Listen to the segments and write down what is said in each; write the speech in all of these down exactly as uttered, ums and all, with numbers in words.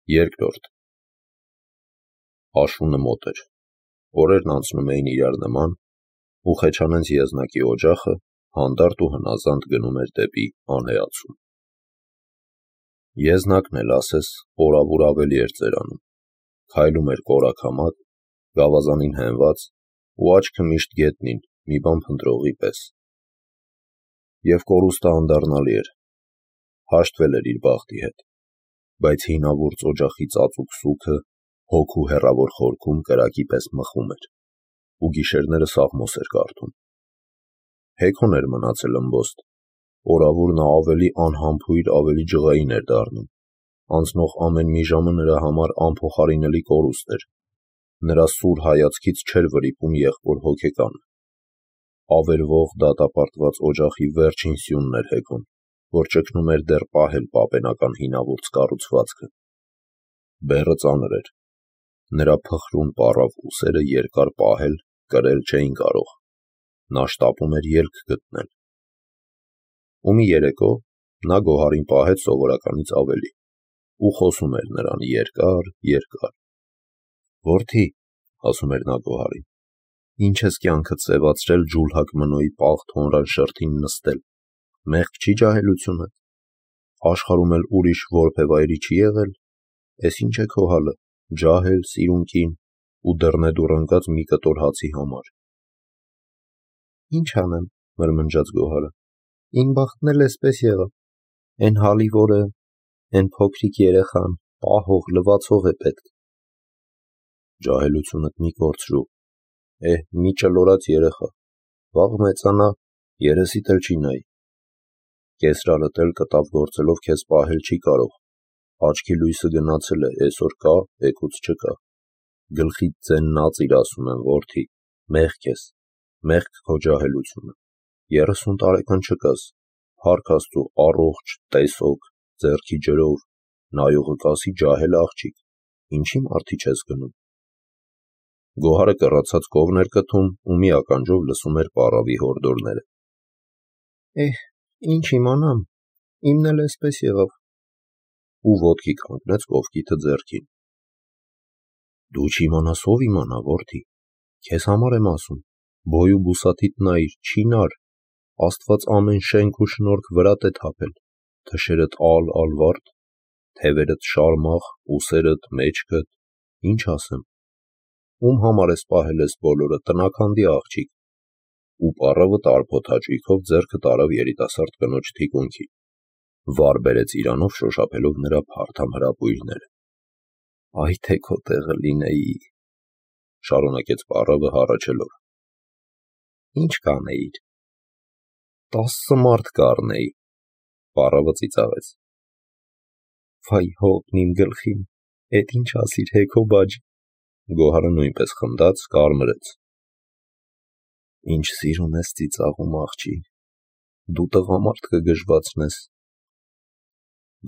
Երկրորդ Աշունը մոտ էր, օրերն անցնում էին իրար նման, ու Խեչանենց եզնակի օջախը հանդարտ ու հնազանդ գնում էր դեպի անհեացում։ Եզնակն էլ ասես օրավուր ավելի էր ծերանում, քայլում էր կորաքամակ, գավազանին հենված ու աչքը միշտ գետնին, մի բան փնտրողի պես։ Եվ կորուստը անդառնալի էր, հաշտվել էր իր բախտի հետ, բայց հինավուրց օջախի ծածուկ սուքը հոգու հեռավոր խորքում կրակի պես մխում էր, ու գիշերները սաղմոս էր կարդում։ Հեքոն էր մնացել ըմբոստ, օրավուր նա ավելի անհամբույր, ավելի ջղային էր դառնում, անցնող ամեն մի ժամը նրա համար անփոխարինելի կորուստ էր, նրա սուր հայացքից չէր վրիպում եղբոր հոգեկանը։ Ավերվող դատապարտված օջախի վերջին սյունն էր Հեքոն, որ ճգնում էր դեռ պահել պապենական հինավուրց կառուցվածքը։ Բեռը ծանր էր, նրա փխրուն պառավ ուսերը երկար պահել, կրել չէին կարող, նա շտապում էր ելք գտնել։ Ու մի երեկո նա Գոհարին պահեց սովորականից ավելի ու խոսում էր նրան երկար, երկար։ Որդի, ասում էր նա Գոհարին, ինչ ես կյանքդ սևացրել ջուլհակ մնոյի պաղ թոնրան շրթին նստել, մեղք չի ջահելությունդ, աշխարհում էլ ուրիշ որբևայրի չի եղել, էս ինչ է քո հալը, ջահել, սիրուն կին ու դռնեդուռ ընկած մի կտոր հացի համար։ Ինչ անեմ, մրմնջաց Գոհարը, իմ բախտն էլ էսպես եղավ, էն հալի որը, էն փոքրիկ երեխան, պահող, լվացող է պետք։ Ջահելությունդ մի կորցրու, էհ, մի ճլորած երեխա, վաղ մեծանա, երեսիդ էլ չի նայի։ Կեսրարդ էլ կտավ գործելով քեզ պահել չի կարող, աչքի լույսը գնացել է, էսօր կա, էգուց չկա, գլխիդ ձեննածիր ասում եմ, որդի, մեղք ես, մեղք քո ջահելությունը, երեսուն տարեկան չկաս, փառք Աստծու, առողջ, տեսոք, ձեռքի ջրով, նայողը կասի ջահել աղջիկ, ինչի մարդի չես գնում։ Գոհարը կռացած կողն էր կթում ու մի ականջով լսում էր պառավի հորդորները։ Էհ, ինչ իմանամ, իմն էլ էսպես եղավ։ Ու ոտքի կանգնեց կողքիթը ձեռքին։ Դու չիմանաս ով իմանա, որդի, քեզ համար եմ ասում, բոյ ու բուսաթիդ նայիր, չինար, Աստված ամեն շենք ու շնորհք վրատ է թափել, թշերդ ալ, ալվարդ, թևերդ շարմախ, ուսերդ, մեջքդ, ինչ ասեմ, ում համար ես պահել ես բոլորը, տնաքանդի աղջիկ։ Ու պառավը տարփոթ հաճույքով ձեռքը տարավ երիտասարդ կնոջ թիկունքին, վար բերեց իրանով շոշափելով նրա փարթամ հրապույրները։ Այ թե քո տեղը լինեի, շարունակեց պառավը հառաչելով։ Ինչ կանեիր։ Տասը մարդ կառնեի, պառավը ծիծաղեց։ Վայ հոգն իմ գլխին, էդ ինչ ասիր Հեքո բաջ։ Գոհարը նույնպես խնդաց, կարմրեց։ Ինչ սիրուն ես ծիծաղում, աղջի, դու տղամարդ կգժվացնես։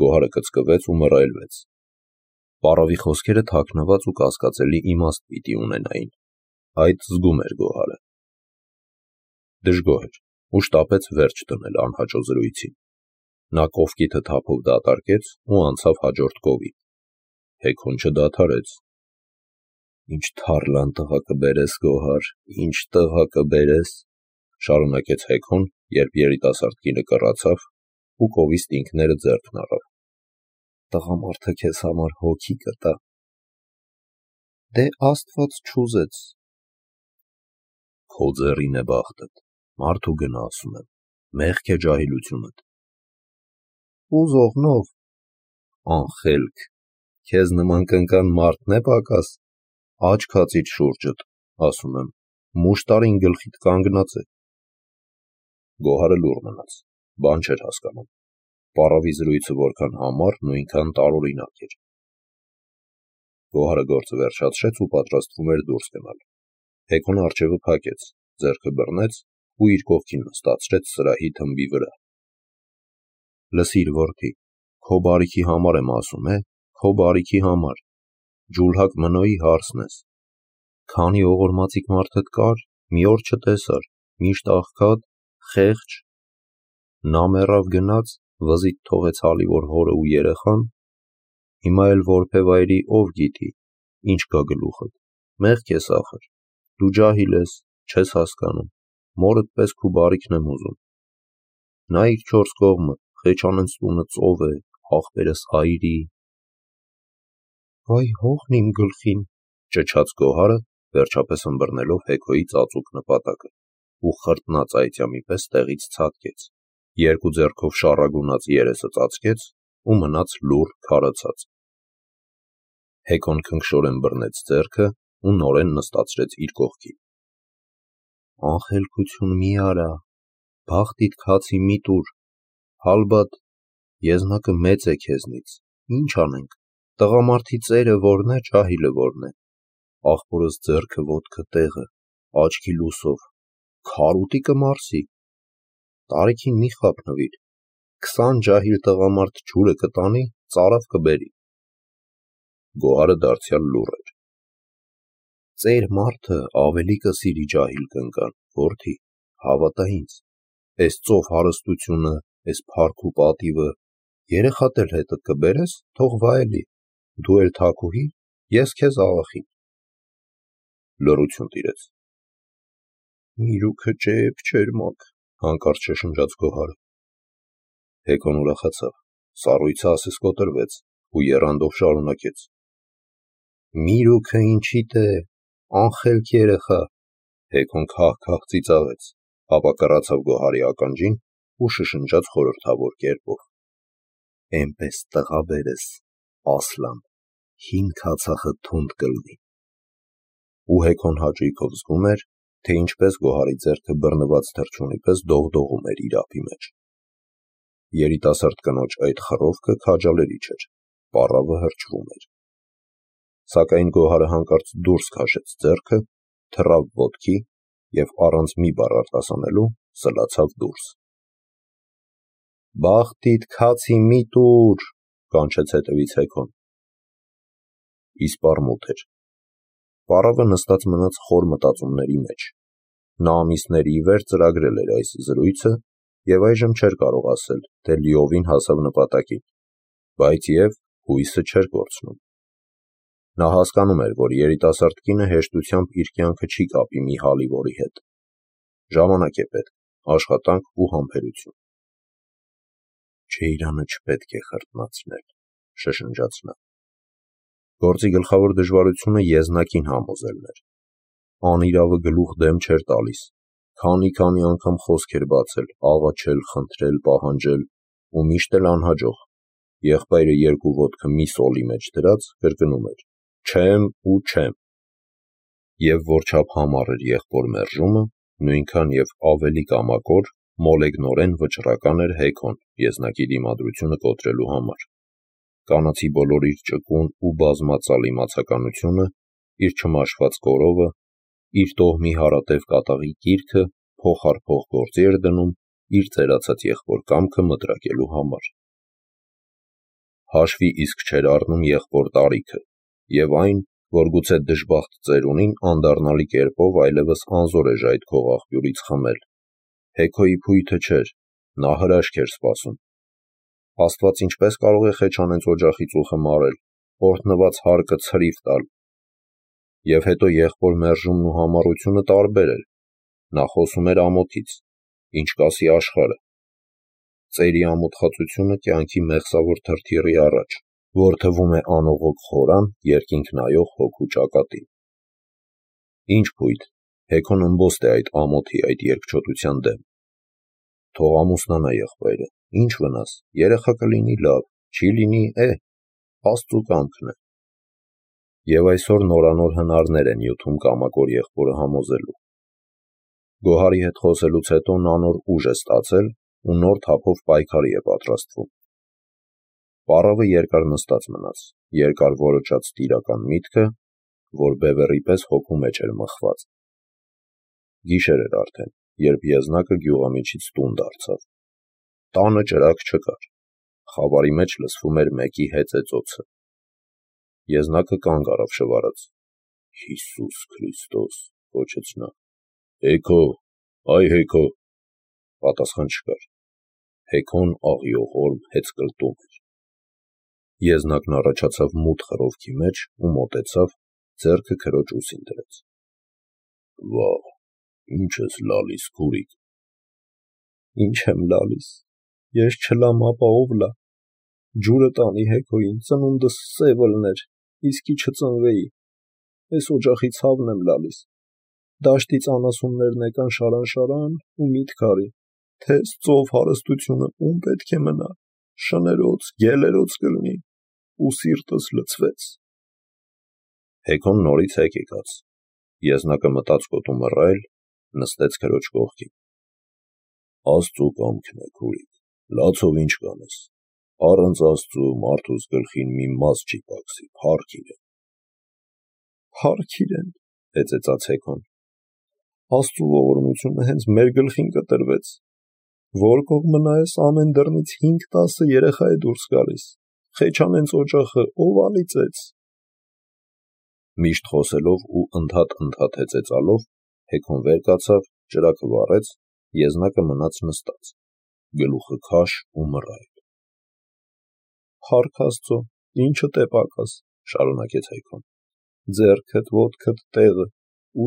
Գոհարը կծկվեց ու մռայլվեց։ Պառավի խոսքերը թաքնված ու կասկածելի իմաստ պիտի ունենային, այդ զգում էր Գոհարը։ Դժգոհ էր ու շտապեց վերջ դնել անհաճո զրույցին։ Նա կողքիթը թափով դատարկեց ու անցավ հաջորդ կովին։ Հեքոն չդադարեց։ Ինչ թարլան տղա կբերես, Գոհար, ինչ տղա կբերես, շարունակեց Հեքոն, երբ երիտասարդ կինը կռացավ ու կովի ստինքները ձեռքն առավ։ Տղամարդը քեզ համար հոգի կտա։ Դե Աստված չուզեց։ Քո ձեռին է բախտդ, մարդու գնա ասում եմ, մեղք է ջահելությունդ։ Ուզողնով, անխելք, քեզ նման կնկան մարդն է պակաս, աչք հացիդ շուրջդ, ասում եմ, մուշտարին գլխիդ կանգնած է։ Գոհարը լուռ մնաց, բան չէր հասկանում, պառավի զրույցը որքան համառ, նույնքան տարօրինակ էր։ Գոհարը գործը վերջացրեց ու պատրաստվում էր դուրս գնալ։ Հեքոն առջևը փակեց, ձեռքը բռնեց ու իր կողքին նստացրեց սրահի թմբի վրա։ Լսիր, որդի, քո բարիքի համար եմ ասում, է, քո բարիքի համար, ջուլհակ մնոյի հարսն ես։ Քանի ողորմածիկ մարդդ կար, մի օր չտեսար, միշտ աղքատ, խեղճ։ Նա մեռավ գնաց, վզիտ թողեց հալի որ հորը ու երեխան, Հիմա էլ որբևայրի ով գիտի, ինչ գա գլուխդ, մեղք ես ախր, դու ջահիլ ես, չես հասկանում, մորդ պես քու բարիքն եմ ուզում։ Նայիր չորս կողմը, Խեչանենց տունը ծով է, աղբերս այրի։ Վայ հողն իմ գլխին, ճչաց Գոհարը, վերջապես ըմբռնելով Հեքոյի ծածուկ նպատակը, ու խրտնածայթյամի պես տեղից ցատկեց, երկու ձեռքով շառագունած երեսը ծածկեց ու մնաց լուռ քարացած։ Հեքոն քնքշորեն բռնեց ձեռքը ու նորեն նստացրեց իր կողքին։ Անխելքություն մի արա, բախտիդ քացի մի տուր, հալբատ, եզնակը մեծ է քեզնից, ինչ անենք, տղամարդի ծերը որն է, ջահիլը որն է, աղբորս ձեռքը ոտքը տեղը, աչքի լուսով, քարուտի կմարսի, տարիքին մի խափնվիր, քսան ջահիլ տղամարդ ջուրը կտանի, ծարավ կբերի։ Գոհարը դարձյալ լուռ էր։ Ծեր մարդը ավելի կսիրի ջահիլ կնկան, որդի, հավատա ինձ, էս ծով հարստությունը, էս փառք ու պատիվը, երեխատ էլ հետդ կբերես, թող վայելի, դու էլ թաքուհի, ես քեզ աղախին։ Լռություն տիրեց։ Միրուքը ջեբ չերմակ, հանկարծ շշնջաց Գոհարը։ Հեքոն ուրախացավ, սառույցը ասես կոտրվեց ու եռանդով շարունակեց. Միրուքը ինչիդ է, անխելք երեխա։ Հեքոն քահ-քահ ծիծաղեց, ապա կռացավ Գոհարի ականջին ու շշնջաց խորհրդավոր կերպով. Էնպես տղա բերես, ասլան, հին քացախը թունդ կլնի։ Ու Հեքոն հաճույքով զգում էր, թե ինչպես Գոհարի ձեռքը բռնված թռչունի պես դողդողում էր իր ափի մեջ։ Երիտասարդ կնոջ այդ խռովքը քաջալերիչ էր, պառավը հրճվում էր։ Սակայն Գոհարը հանկարծ դուրս քաշեց ձեռքը, թռավ ոտքի և առանց մի բառ արտասանելու սլացավ դուրս։ Բախտիդ քացի մի տուր, կանչեց հետևից Հեքոն։ Իսպառ մութ էր։ Պառավը նստած մնաց խոր մտածումների մեջ։ Նա ամիսների ի վեր ծրագրել էր այս զրույցը և այժմ չէր կարող ասել, թե լիովին հասավ նպատակին, բայց և հույսը չէր կորցնում։ Նա հասկանում էր, որ երիտասարդ կինը հեշտությամբ իր կյանքը չի կապի մի հալիվորի հետ։ Ժամանակ է պետք, աշխատանք ու համբերություն։ Չեյրանը չպետք է խրտնացնել, շշնջաց նա։ Գործի գլխավոր դժվարությունը եզնակին համոզելն էր։ Անիրավը գլուխ դեմ չէր տալիս, քանի-քանի անգամ խոսք էր բացել, աղաչել, խնդրել, պահանջել ու միշտ էլ անհաջող։ Եղբայրը երկու ոտքը մի սոլի մեջ դրած կրկնում էր. չեմ ու չեմ։ Եվ որչափ համառ էր եղբոր մերժումը, նույնքան և ավելի կամակոր, մոլեգնորեն վճռական էր Հեքոն եզնակի դիմադրությունը կոտրելու համար։ Կանացի բոլոր իր ճկուն ու բազմածալ իմացականությունը, իր չմաշված կորովը, իր տոհմի հարատև կատաղի կիրքը փոխ առ փոխ գործի էր դնում իր ծերացած եղբոր կամքը մտրակելու համար։ Հաշվի իսկ չէր առնում եղբոր տարիքը և այն, որ գուցե դժբախտ ծերունին անդառնալի կերպով այլևս անզոր է ժայթքող աղբյուրից խմել։ Հեքոյի փույթը չէր, նա հրաշք էր սպասում։ Աստված ինչպես կարող է Խեչանենց օջախի ծուխը մարել, օրհնված հարկը ցրիվ տալ։ Եվ հետո եղբոր մերժումն ու համառությունը տարբեր էր։ Նա խոսում էր ամոթից, ինչ կասի աշխարհը։ Ծերի ամոթխածությունը կյանքի մեղսավոր թրթիռի առաջ, որ թվում է անողոք խորան, երկինք նայող հոգու ճակատին։ Ինչ փույթ, Հեքոն ըմբոստ է այդ ամոթի, այդ երկչոտության դեմ։ Թող ամուսնանա եղբայրը, ինչ վնաս, երեխա կլինի լավ, չի լինի, է, Աստծու կամքն է։ Եվ այսօր նորանոր հնարներ են յութում կամակոր եղբորը համոզելու։ Գոհարի հետ խոսելուց հետո նա նոր ուժ է ստացել ու նոր թափով պայքարի է պատրաստվում։ Պառավը երկար նստած մնաց, երկար որոճած տիրական միտքը, որ բևեռի պես հոգու մեջ էր մխված։ Գիշեր էր արդեն, երբ եզնակը գյուղամիջից տուն դարձավ։ Տանը ճրագ չկար։ Խավարի մեջ լսվում էր մեկի հեծեծոցը։ Եզնակը կանգ առավ շվարած։ Հիսուս Քրիստոս, գոչեց նա։ Հեքո, այ Հեքո։ Պատասխան չկար։ Հեքոն աղիողորմ հեծկլտում էր։ Եզնակն առաջացավ մութ խռովքի մեջ ու մոտեցավ, ձեռքը քրոջ ուսին դրեց։ Վաղ, ինչ ես լալիս, քուրիկ։ Ինչ եմ լալիս, ես չլամ, ապա ով լա։ Ջուրը տանի Հեքոյին, ծնունդս սև ըլներ, իսկի չծնվեի։ Էս օջախի ցավն եմ լալիս։ Դաշտից անասուններն եկան շարան-շարան ու միտք արի, թե էս ծով հարստությունը ում պետք է մնա, շներոց, գելերոց կլինի, ու սիրտս լցվեց։ Հեքոն նորից եկ եկած, Եզնակը մտած կոտու մռայլ, նստեց քրոջ կողքին։ Աստծու կամքն է, քուրիկ, լացով ինչ կանես, առանց Աստծու մարդուս գլխին մի մաս չի պակսի, փառք իրեն։ Փառք իրեն, հեծեծաց Հեքոն։ Աստծու ողորմությունը հենց մեր գլխին կտրվեց։ Որ կողմը նայես ամեն դռնից հինգ-տասը երեխա է դուրս գալիս, խեչանենց օջախը ով անիծեց։ Միշտ խոսելով ու ընդհատ-ընդհատ հեծեծալով, Հեքոն վեր կացավ, ճրագը վառեց, Եզնակը մնաց նստած, գլուխը քաշ ու մռայլ։ Փառք Աստծո, ինչդ է պակաս, շարունակեց Հեքոն, ձեռքդ, ոտքդ տեղը,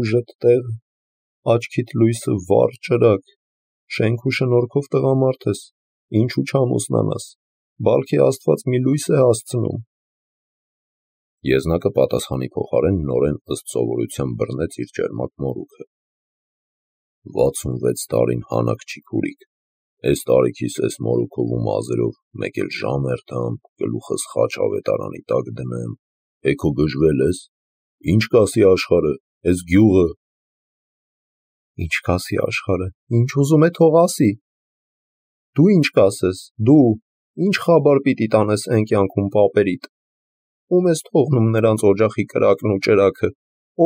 ուժդ տեղը, աչքիդ լույսը վառ ճրագ, շենք ու շնորհքով տղամարդ ես, ինչու չամուսնանաս, բալքի Աստված մի լույս է հասցնում։ Եզնակը պատասխանի փոխարեն նորեն ըստ սովորության բռնեց իր ճերմակ մորուքը։ վաթսունվեց տարին հանակ չի, քուրիկ, էս տարիքիս էս մորուքով ու մազերով մեկ էլ ժամերթամ, գլուխս խաչ ավետարանի տակ դնեմ, Հեքո գժվել ես, ինչ կասի աշխարհը, էս գյուղը։ Ինչ կասի աշխարհը, ինչ ուզում է թող ասի։ Դու ինչ կասես, դու, ինչ խաբար պիտի տանես էն կյանքում պապերիդ։ Ում ես թողնում նրանց օջախի կրակն ու ճրագը,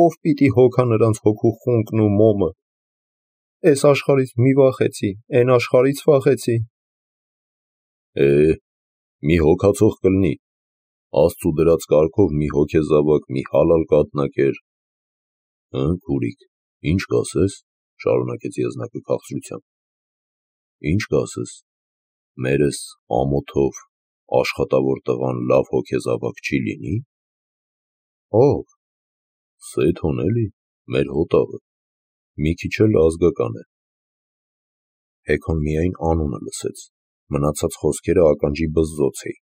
ով պիտի հոգա նրանց հոգու խունկն ու մոմը։ Էս աշխարհից մի վախեցի, էն աշխարհից վախեցի։ Է, մի հոգացող կլինի, Աստծու դրած կարգով մի հոգեզավակ, մի հալալ կաթնակեր։ Հը, քուրիկ, ինչ կասես, շարունակեց Եզնակը քաղցրությամբ։ Ինչ կասես, մերս ամոթով աշխատավոր տղան լավ հոգեզավակ չի լինի։ Ով։ Սեթոն էլի, մեր հոտավը, մի քիչ էլ ազգական է։ Հեքոն միայն անունը լսեց, մնացած խոսքերը ականջի բզզոց էին։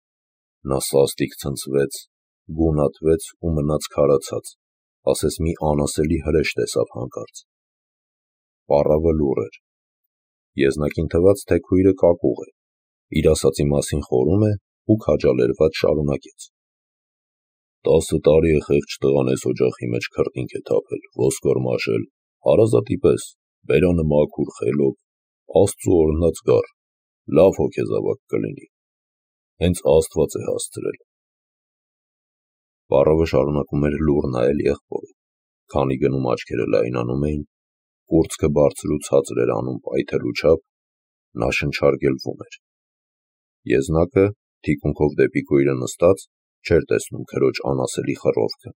Նա սաստիկ ցնցվեց, գունատվեց ու մնաց քարացած, ասես մի անասելի հրեշ տեսավ հանկարծ։ Պառավը լուռ էր։ Եզնակին թվաց, թե քույրը կակուղ է, իր ասածի մասին խորում է ու քաջալերված շարունակեց։ Տասը տարի է խեղճ տղան էս օջախի մեջ քրտինք է թափել, ոսկոր մաշել, հարազատի պես, բերանը մաքուր, խելոք, Աստծու օրհնած գառ, լավ հոգեզավակ կլինի։ Հենց Աստված է հասցրել։ Պառավը շարունակում էր լուռ նայել եղբորը, քանի գնում աչքերը լայնանում էին, կուրծքը բարձր ու ցածր էր անում պայթելու չափ, նա շնչարգելվում էր։ Եզնակը, թիկունքով դեպի քույրը նստած, չէր տեսնում քրոջ անասելի խռովքը,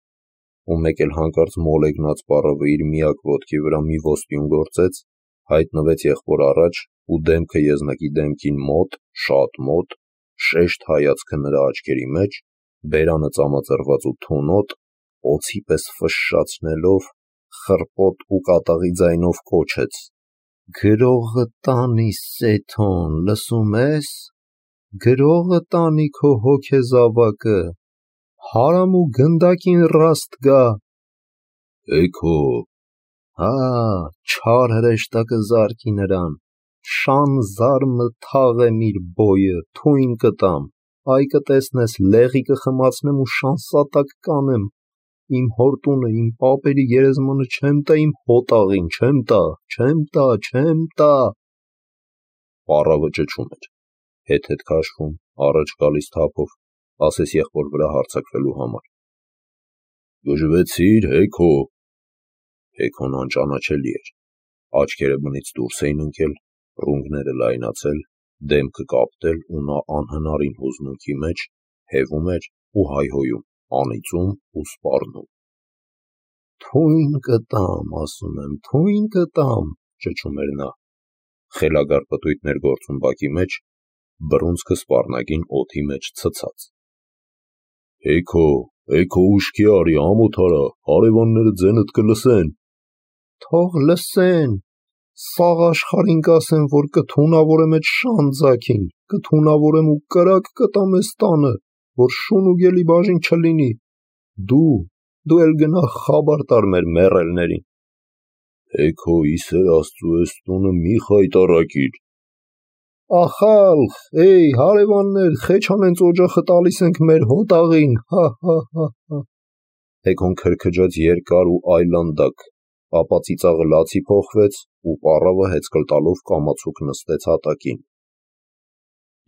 ու մեկ էլ հանկարծ մոլեգնած պառավը իր միակ ոտքի վրա մի ոսպյուն գործեց, հայտնվեց եղբոր առաջ ու դեմքը Եզնակի դեմքին մոտ, շատ մոտ, շեշտ հայացքը նրա աչքերի մեջ, բերանը ծամածրված ու թունոտ, օձի պես ֆշշացնելով, խռպոտ ու կատաղի ձայնով կոչեց. Գրողը տանի, Սեթոն, լսում ես, գրողը տանի քո հոգեզավակը, հարամ ու գնդակին ռաստ գա։ Հեքո։ Հա, չար հրեշտակը զարկի նրան, շան զարմը թաղեմ իր բոյը, թույն կտամ, այ կտեսնես լեղի կխմացնեմ ու շանսատակ կանեմ, իմ հոր տունը, իմ պապերի գերեզմանը չեմ տա իմ հոտաղին, չեմ տա, չեմ տա, չեմ տա։ Պառավը ճչում էր, հետ-հետ քաշվում, առաջ գալիս թափով, ասես եղբոր վրա հարձակվելու համար։ Գժվեցիր, Հեքո։ Հեքոն անճանաչելի էր, աչքերը բնից դուրս էին ընկել, ռունգները լայնացել, դեմքը կապտել ու նա անհնարին հուզմունքի մեջ հևում էր ու հայհոյում, անիծում ու սպառնում։ Թույն կտամ, ասում եմ, թույն կտամ, ճչում էր նա, խելագար պտույտներ գործում բակի մեջ, բռունցքը սպառնագին օդի մեջ ցցած։ Հեքո, հեքո ուշքի արի, ամոթ արա, հարևանները ձենդ կլսեն։ Թող լսեն, սաղ աշխարհին կասեն, որ կթունավորեմ այդ շանձակին, կթունավորեմ ու կրակ կտամ էս տանը, որ շուն ու գելի բաժին չլինի։ Դու, դու էլ գնա խաբար տար մեր մեռելներին։ Հեքո, իսեր Աստծու էս տունը մի խայտառակիր։ Ախալխ, էй, հարևաններ, խեչանենց օջախը տալիս ենք մեր հոտաղին, հա, հա, հա, հա։ Հեքոն քրքջաց երկար ու այլանդակ, ապա ծիծաղը լացի փոխվեց ու պառավը հեծկլ տալով կամացուկ նստեց հատակին։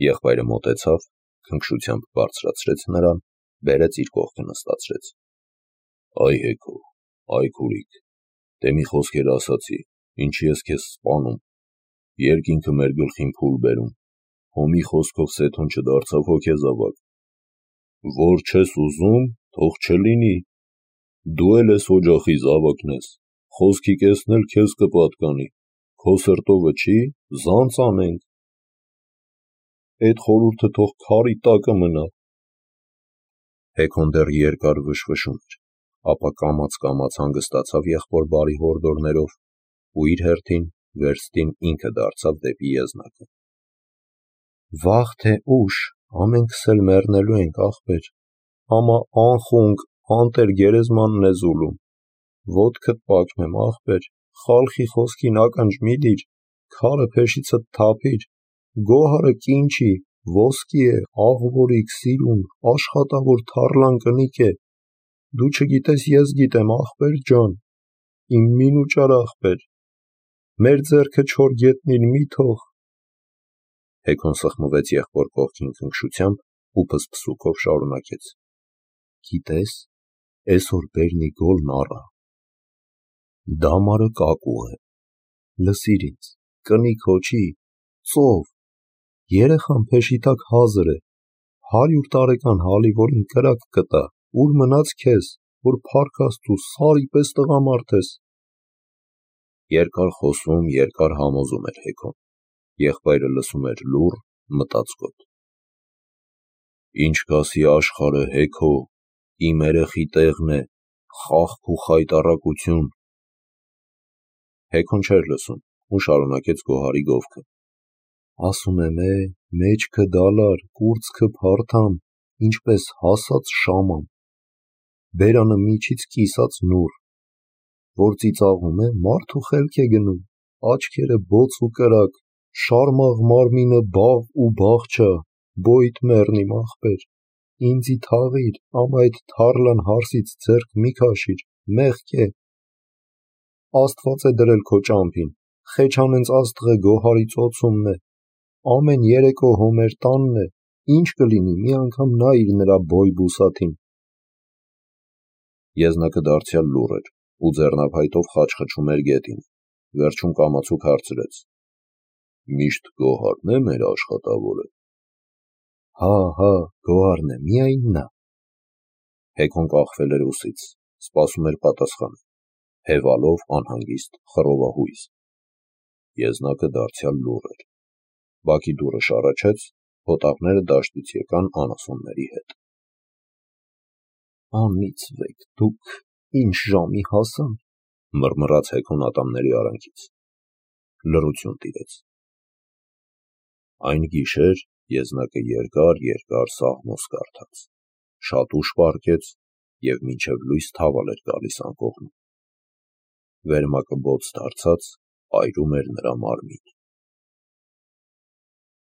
Եղբայրը մոտեցավ, քնքշությամբ բարձրացրեց նրան, բերեց իր կողքը նստացրեց։ Այ Հեքո, այ քուրիկ, դե մի խոսքեր ասացի, ինչի ես քեզ սպանում, երկինքը մեր գլխին փուլ բերում, հոմի խոսքով Սեթոն չդարձավ հոգեզավակ, որ չես ուզում, թող չլինի, դու էլ ես օջախի զավակն ես, խոսքի կեսն էլ քեզ կպատկանի, քո սրտովը չի, զանց անենք, այդ խորհուրդը թող քարի տակը մնա։ Հեքոն դեռ երկար վշվշում էր, ապա կամաց-կամաց հանգստացավ եղբոր բարի հորդորներով ու իր հերթին վերստին ինքը դարձավ դեպի եզնակը։ Վաղ թե ուշ ամենքս էլ մեռնելու ենք, ախպեր, ամա անխունկ, անտեր գերեզմանն է զուլում, ոտքդ պակնեմ, ախպեր, խալխի խոսքին ականջ մի դիր, քարը փեշիցդ թափիր, գոհարը կինչի, ոսկի է, աղվորիկ, սիրուն, աշխատավոր թառլան կնիկ է, դու չգիտես, ես գիտեմ, ախպեր ջան, իմ մինուճար ախպեր, մեր ձեռքը չոր գետնին մի թող։ Հեքոն սխմվեց եղբոր կողքին քնքշությամբ ու փսփսուկով շարունակեց. Գիտես, այսօր բերնի գոլն առա։ Դամարը կակուղ է, լսիր ինձ, կնիկ հոչի, ծով, երեխան փեշի տակ հազր է, հարյուր տարեկան հալիվորին կրակ կտա, ուր մնաց քեզ, որ փառք Աստծու սարի պես տղամարդ ես։ Երկար խոսում, երկար համոզում էր Հեքոն, եղբայրը լսում էր լուռ, մտածկոտ։ Ինչ կասի աշխարհը, Հեքո, իմ երեխի տեղն է, խաղք ու խայտառակություն։ Հեքոն չէր լսում ու շարունակեց գոհարի գովքը։ Ասում եմ, է, մեջքը դալար, կուրծքը փարթամ, ինչպես հասած շաման, բերանը միջից կիսած նուռ, որ ծիծաղում է, մարդու խելք է գնում, աչքերը բոց ու կրակ, շարմաղ մարմինը բաղ ու բաղչա, բոյդ մեռնիմ ախպեր, ինձի թաղիր, ամա այդ թառլան հարսից ձեռք մի քաշիր, մեղք է։ Աստված է դրել քո ճամփին, խեչանենց աստղը գոհարի ծոցումն է, ամեն երեկո հոմեր տանն է, ինչ կլինի, մի անգամ նայիր նրա բոյ բուսաթին։ Եզնակը դարձյալ լուռ էր ու ձեռնափայտով խաչխչում էր գետին, վերջում կամացուկ հարցրեց. Միշտ գոհարն է մեր աշխատավորը։ Հա, հա, գոհարն է, միայն նա։ Հեքոն կախվել էր ուսից, սպասում էր պատասխանը, հևալով անհանգիստ խռովահույս։ Եզնակը դարձյալ լուռ էր։ Բակի դուռը շառաչեց, հոտաղները դաշտից եկան անասունների հետ։ Անիծվեք դուք, ինչ ժամի հասան, մռմռաց Հեքոն ատամների արանքից։ Լռություն տիրեց։ Այն գիշեր Եզնակը երկար-երկար սաղմոս կարդաց, շատ ուշ պառկեց և մինչև լույս թավալ էր գալիս անկողնում։ Վերմակը բոց դարձած այրում էր նրա մարմինը։